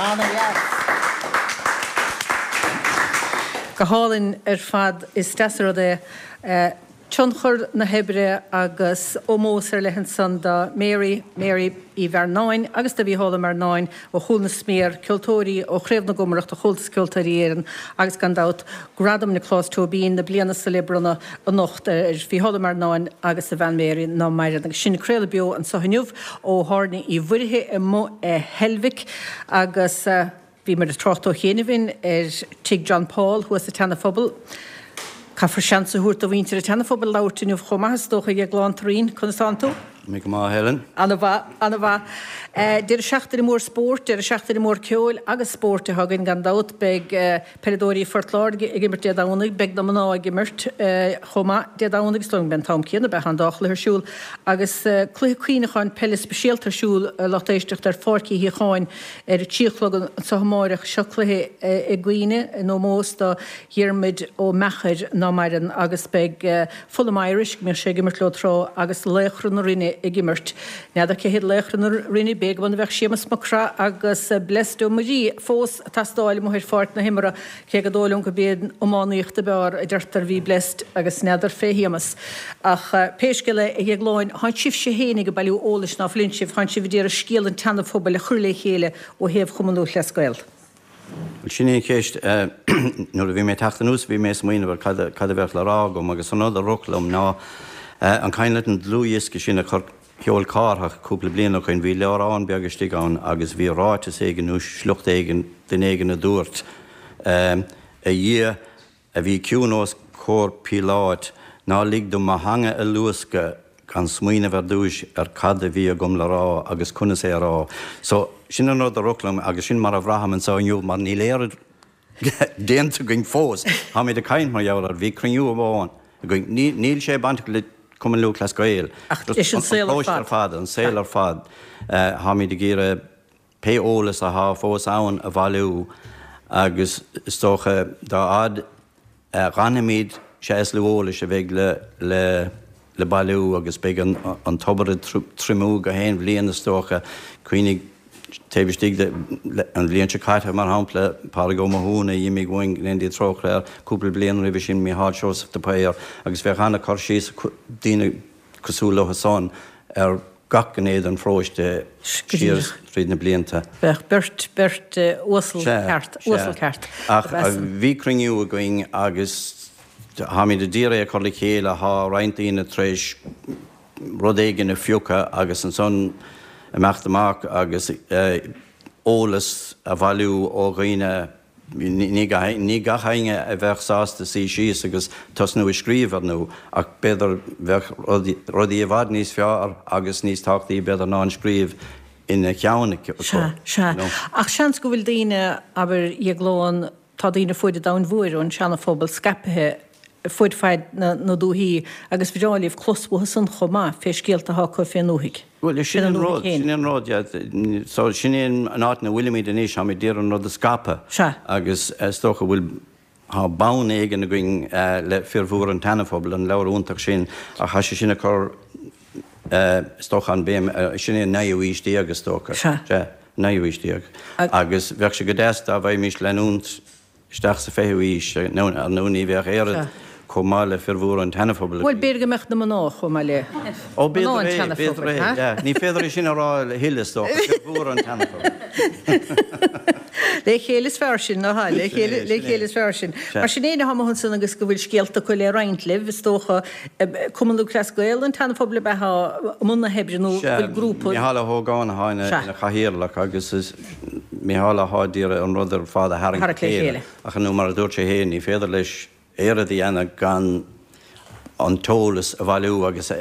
Ana-dheas. Go hálainn ar fad. Is deas an rud é tionchar na hoibre agus ómós ar leith ansan do Mary, Mary Uí Mhearnáin agus do Mhícheál Ó Mearnáin ó Chúil na Sméar, ceoltóirí ó Chraobh na gComaireach de Chomhaltas Ceoltóirí Éireann agus gan dabht Gradam Nioclás Tóibín na bliana seo le bronnadh anocht ar Mhícheál Ó Mearnáin agus a bhean Mary ná maireann. Agus sinn ag craoladh beo anso inniu ó Thábhairne Uí Mhuirithe amuigh i Heilbhic agus bhíomar ag trácht ó chianaibh ar Tigh John Paul thuas sa tSeana-Phobal. Caithfear seans a thabhairt do mhuintir an tSeana-Phobail labhairt inniu chomh maith is dócha, a Dhéagláin Turraoin, conas tánn tú? Tá mé go maith, a Helen. Ana-mhaith, ana-mhaith. Deireadh seachtaine mór spóirt, deireadh seachtaine mór ceoil agus spóirt atá againn gan dabht. Beidh peileadóirí Phort Láirge ag imirt Dé Domhnaigh, beidh na mná ag imirt chomh maith Dé Domhnaigh, is dóigh liom go mbeidh an t-am céanna, beidh an dá chluiche ar siúl agus cluiche cuimhneacháin peile speisialta ar siúl, a lucht éisteachta, ar Pháirc Uí Shíocháin Ar a 3 a chlog anso amáireach, seo cluiche i gcuimhne, in ómós do Dhiarmuid Ó Meachair ná maireann, agus beidh Fulham Irish, go mbíodh sé ag imirt leo tráth, agus Laochra na Rinne ag imirt. N'fheadar cé hiad Laochra na Rinne, b'fhéidir go mba bheadh Séamus Mac Craith agus Blessed Ó Muirí fós ag teastáil amuigh ar pháirc na himeartha, Cé gur dóigh liom gurb é an iománaíocht ab fhearr, a deirtear, bhí Blessed agus n'fheadar fé Shéamus. Ach pé scéal é, a Dhéagláin, thánn sibhse fhéinig ag bailiú eolais ná fuileann sibh, thánn sibh ag iarraidh scéal an tSeana-Phobail a chur le chéile ó thaobh Chumann Lúthchleas Gael. Bhuel, sin é an cheist. Nuair a bhí mé ag teacht anuas bhí mé ag smaoineamh ar cad a bheadh le rá agam agus an rud a rith liom ná an cuimhin leat an dlúthdhiosca sin a chur Sheol Cárthach cúpla bliain ó shoin, bhí leabhrán beag istigh ann agus bhí ráiteas éigin nó sliocht éigin, duine éigin a dúirt, A Dhia a bhí ciúin os comhair Píoláit, ná lig dom mo theanga a luascadh gan smaoineamh ar dtúis ar cad a bhí agam le rá agus conas é a rá. So, sin an rud a rith liom agus sin mar a bhraithim anseo inniu mar níl oiread déanta againn fós. Táimid ag caint mar gheall air. Bhí cruinniú amháin againn. Níl sé bainteach le Cumann Lúthchleas Gael. Ach leis an saol ar fad. An paróiste ar fad, an saol ar fad. Táimid ag iarraidh pé eolas athá fós ann a bhailiú agus is dócha dá fhad a dh'fhanfaimid sea is lú eolais a bheidh le le bailiú agus beidh an tobar ag triomú gach aon bhliain is dócha. Cuimhnigh taobh istigh de an bhliain seo caite, mar shampla, Pádraig Ó Mathúna a d'imigh uainn, go ndéana Dia trócaire air, cúpla bliain roimhe sin Mícheál Seosamh de Paor agus bheadh an-chur síos ag daoine cosúil leo san ar gach gné den pharóiste siar tríd na blianta. Bheadh beirt, beirt uasal ceart, uasal ceart. Ach bhí cruinniú againn agus Táimid a d'iarraidh é a chur le chéile, thá roinnt daoine tar éis rud éigin a phiocadh agus ansan imeacht amach agus eolas a bhailiú ó dhaoine, ní gach éinne a bheadh sásta suí síos agus tosnú ag scríobh ar ndú, ach b'fhéidir bheadh rudaí i bhfad níos fearr agus níos tábhachtaí b'fhéidir ná an scríobh ina cheann acu. Sea, sea. Ach seans go bhfuil daoine, abair, Dhéagláin. tá daoine fuaid an domhain mhóir ón Seana-Phobal scaipthe fuaid faid na dúthaí agus bhreá libh clos uathu san chomh maith fé scéalta atá acu fén ndúthaigh. Bhuel, sin an rud, sin an rud, yeah. So, sin é an áit ina bhfuilimid anois, táimid d'iarraidh an rud a scaipeadh. Sea. Agus is dócha go bhfuil, tá bonn éigin againn le Fir Mhóra an tSeana-Phobail, an leabhar iontach sin, ach tá sé sin ag cur, is dócha, an béim, sin é an naoú aois déag, is dócha. Sea. Sea, naoú aois déag. Agus bheadh sé go deas dá bhfaighimís leanúint isteach sa 20ú aois, ar ndóigh ní bheadh oiread chomh maith le fir mhóra an tSeana-Phobail. Bhuel, b'fhéidir go mbeadh na mná chomh maith le Ó, mná an b'fhéidir é, b'fhéidir é, yeah. Ní féidir é sin a rá a thuilleadh, is dócha, fir mhóra an tSeana-Phobail. Le chéile is fearr sin, nach ea? Le chéile, le chéile is fearr sin. Mar sin éinne atá amuigh ansan agus go bhfuil scéalta acu le roinnt libh, is dócha, Cumann Lúthchleas Gael an tSeana-Phobail ab ea atá i mbun na hoibre nó bhfuil grúpa. Micheál Ó hÓgáin atá ina chathaoirleach agus is Micheál atá d'iarraidh an rud ar fad a tharraingt le chéile ach nó mar a dúirt sé féin ní féidir leis oiread a dhéanamh gan an t-eolas a bhailiú agus a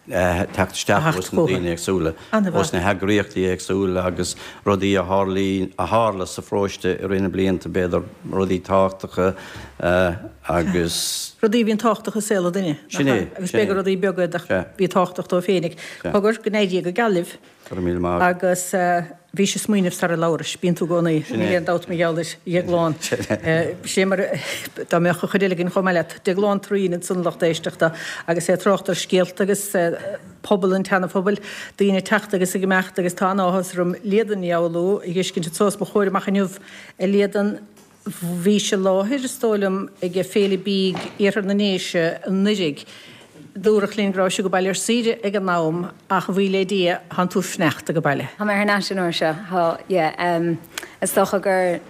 theacht isteach ós na daoine éagsúla, ós na heagraíochtaí éagsúla agus rudaí a tharlaíonn, a tharla sa pharóiste i rith na blianta, b'fhéidir, rudaí tábhachtacha agus. Rudaí a bhíonn tábhachtach i saol an duine, nach ea? Agus b'fhéidir rudaí beaga a bhí tábhachtach dó féinig. Cogar, go n-éirí go geal libh. Go raibh míle maith agat. Agus bhís ag smaoineamh sara labhrais, bíonn tú i gcónaí, níl aon dabht mar gheall air, a Dhéagláin. Sé mar dá mbeadh an chuid eile againn chomh maith leat, Déaglán Thureen ansan lucht éisteachta agus é ag trácht ar scéalta agus pobal an tSeana-Phobail, daoine ag teacht agus ag imeacht agus tá an-áthas orm Líadan Ní Fhoghlú a dh'fheiscint anso os mo chomhair amach inniu. A Líadan, Bhís i láthair, is dóigh liom, ag Féile Bídh Iarthar na nDéise anuiridh. Dúradh linn go rabhais ag baile ar saoire ag an am ach a bhuí le Dia, thánn tú fanacht ag baile. Tá mé thar n-ais an uair seo, tá, yeah. Is dócha gur,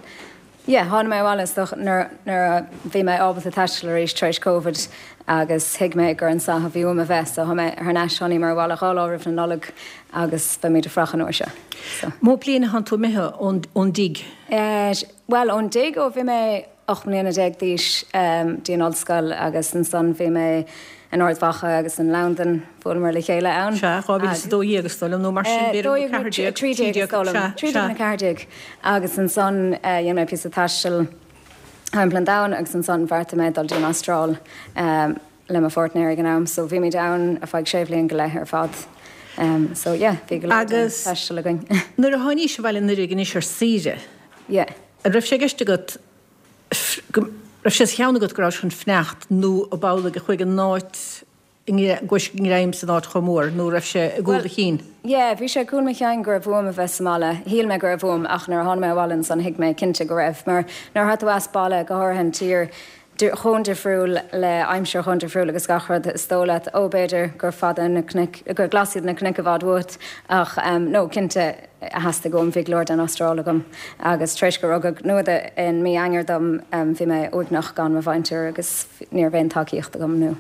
yeah, tháinig mé abhaile is dócha nuair, nuair a bhí mé ábalta taisteal arís tar éis Covid agus thuig mé gur anso a bhí uaim a bheith so tá mé thar n-ais, tháiníomar abhaile dhá lá roimh na Nollag agus beimid ag fuireach an uair seo, so. Mó bliain a thánn tú imithe ón, ón dtigh? Eh, Bhuel, ón dtigh ó bhí mé 18 mbliana d'aois dtí an ollscoil agus ansan bhí mé in Ard Mhacha agus in Londain, bhuaileamar le chéile ann. Sea, 2012 is dóigh liom, nó mar sin, b'fhéidir, nó 14, 13 is dóigh liom, 13 nó 14. Agus ansan dhein mé píosa taistil thimpeall an domhain agus ansan bheartaigh mé dul dtí an Astráil. le mo pháirtnéir ag an am so bhímid ann ar feadh sé bhliain go leith ar fad so yeah bhí go leor den taisteal againn. Agus nuair a tháinís abhaile anuiridh anois ar saoire, yeah. an raibh sé i gceist agat, go raibh sé sa cheann agat go rabhais chun fanacht nó ab amhlaidh a chuaigh an áit i gcuais ngreim san áit chomh mór nó raibh sé i gcúl do chinn? Yeah bhí sé i gcúl mo chinn go raibh uaim a bheith sa mbaile. Shíl mé go raibh uaim ach nuair a tháinig mé abhaile ansan thuig mé cinnte go raibh mar nuair atá tú as baile, go háirithe an tír, chomh difriúil le aimsir chomh difriúil agus gach rud is dóigh leat, ó b'fhéidir gur fada na cnoic, gur glas iad na cnoic i bhfad uait ach no cinnte theastaigh uaim, bhí go leor den Astráil agam agus tar éis gur rugadh Nuada in mí Eanáir dom bhí mé uaigneach gan mo mhuintir agus ní raibh aon tacaíocht agam nó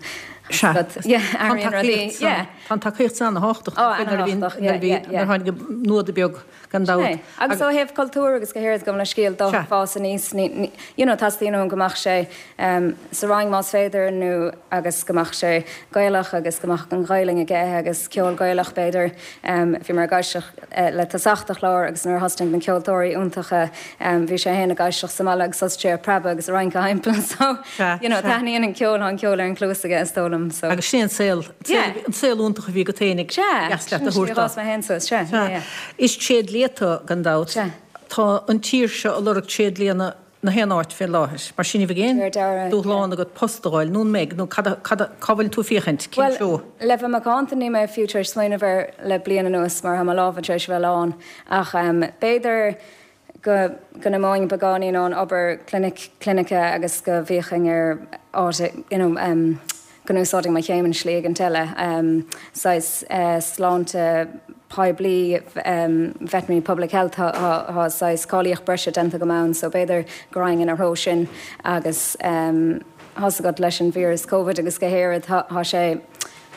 Sea, airíonn rudaí, yeah. Tá an tacaíocht san ana-thábhachtach, nuair a bhí, nuair a tháinig Nuada beag. Gan dabht. Sin é. Agus ó thaobh cultúir agus go háirid gabh mo leithscéal dó fás aníos, ní, you know, teastaíonn uaim go mbeadh sé sa Rang más féidir nó agus go mbeadh sé Gaelach agus go mbeadh an Ghaelainn aige agus ceol Gaelach b'fhéidir. Bhíomar ag éisteacht le tosach de chlár agus nuair a thosnaigh na ceoltóirí iontacha bhí sé féin ag éisteacht sa mbaile agus thosaigh sé ag preabadh agus ag rince thimpeall so, you know, taitníonn an ceol, tá an ceol ar an chluas aige is dóigh liom so. Agus sin é an saol. Yeah. An saol iontach a bhí agat féin ag Sea, deas leat sin a thabhairt a d'fhás mé féin suas, sea, yeah, yeah. Is tréidlia tú, gan dabht. Sea. Tá an tír seo ag lorg tréidlianna na haon áit fé láthair. Mar sin ní bheidh aon Deir Dara, dúshlán agat post a fháil, nó an mbeidh, nó cad a, cad a, cá bhfuil tú ag féachaint, cén Bhuel, treo? le bheith macánta níl mé fiú tar éis smaoineamh air le bliain anuas mar tá mo lámha tar éis a bheith lán. Ach b'fhéidir go go n-imeoinn beagáinín ón obair clinic clinice agus go bhféachfainn ar áit you know go n-úsáidfinn mo chéim in slí éigint eile saghas sláinte poiblí veterinary public health tá tá saghas cáilíocht breise déanta agam ann so b'fhéidir go raghainn ina threo sin agus tá's agat leis an víreas Covid agus go háirid tá tá sé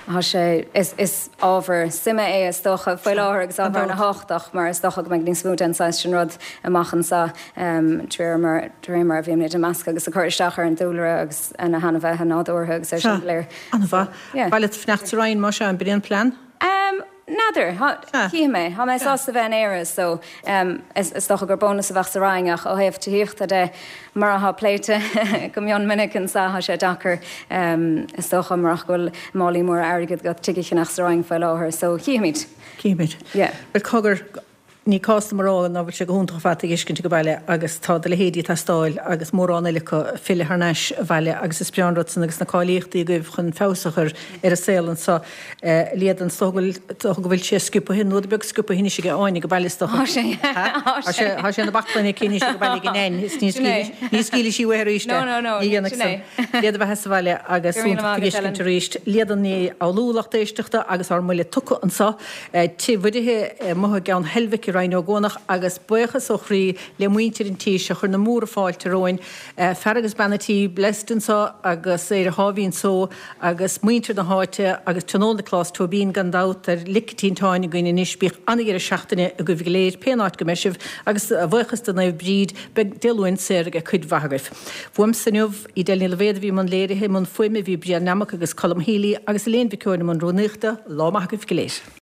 Tá sé, is ábhar suime é is dócha faoi láthair agus ábhar ana-thábhachtach mar is dócha go mbeidh níos mó den saghas sin rud amach anseo de réir mar de réir mar a bhímid ag meascadh agus ag cur isteach ar an dúlra agus ar na hainmhithe nádúrtha agus é sin go léir. An-mhaith. Yeah. Ba mhaith leat fanacht sa Rinn más ea, an b'in é an plean? N'fheadar. N'fheadar, chífidh mé. Tá mé sásta bheith in Éire so is dócha gur bónas a bheadh sa Fhrainc ach ó thaobh tithíochta de, mar atá pléite go mion minic anseo, tá sé deacair is dócha murach go bhfuil málaí móra airgid agat tigh a cheannach sa Fhrainc faoi láthair so chífimid. Chífimid. Yeah. Bhuel cogar, ní cás dom a rá ná bhfuil sé go hiontach ar fad tú a fheiscint ag baile agus tá do leithéidí ag teastáil agus mórán eile acu ag filleadh thar n-ais abhaile agus is breá an rud san agus na cáilíochtaí agaibh chun feabhas a chur ar an saol anseo. Líadan, is dócha go bhfuil, dócha go bhfuil sé sciobtha, nó rud beag sciobtha anois ag Áine ag baile is dócha. Tá sé, tá sé. Tá sé ina baclainn aici anois ag baile ag a Nain is ní scaoilfidh, ní scaoilfidh sí uaithi arís é. No, no, no, Ní dhéanfaidh sin é. san. Dé do bheatha sa bhaile agus Go raibh míle iontach maith tú a agat, fheiscint Ellen. arís. Líadan Ní Fhoghlú, lucht éisteachta agus ár mbuille tugtha anseo. Tigh Mhuirithe amuigh i gCeann Heilbhic i Rinn Ó gCuanach agus buíochas ó chroí le muintir an tí seo a chuir na múra fáilte romhainn, fear agus bean an tí, Blessed anso agus Éire Sháimhín Só agus muintir na háite agus Tionól Nioclás Tóibín gan dabht ar lic an tinteáin againn anois. Bíodh an-dheireadh seachtaine agaibh go léir pén áit go mbeidh sibh agus a bhuíochas do Naomh Bríd beidh Dé Luain saor ag cuid mhaith agaibh. Fuaimse inniu, Edel Ní Loibhéad a bhí i mbun léirithe, i mbun fuaime bhí Brian Nammock agus Colm Healy agus Elaine Mhic Eoin i mbun rúnaíochta. Lá maith agaibh go léir.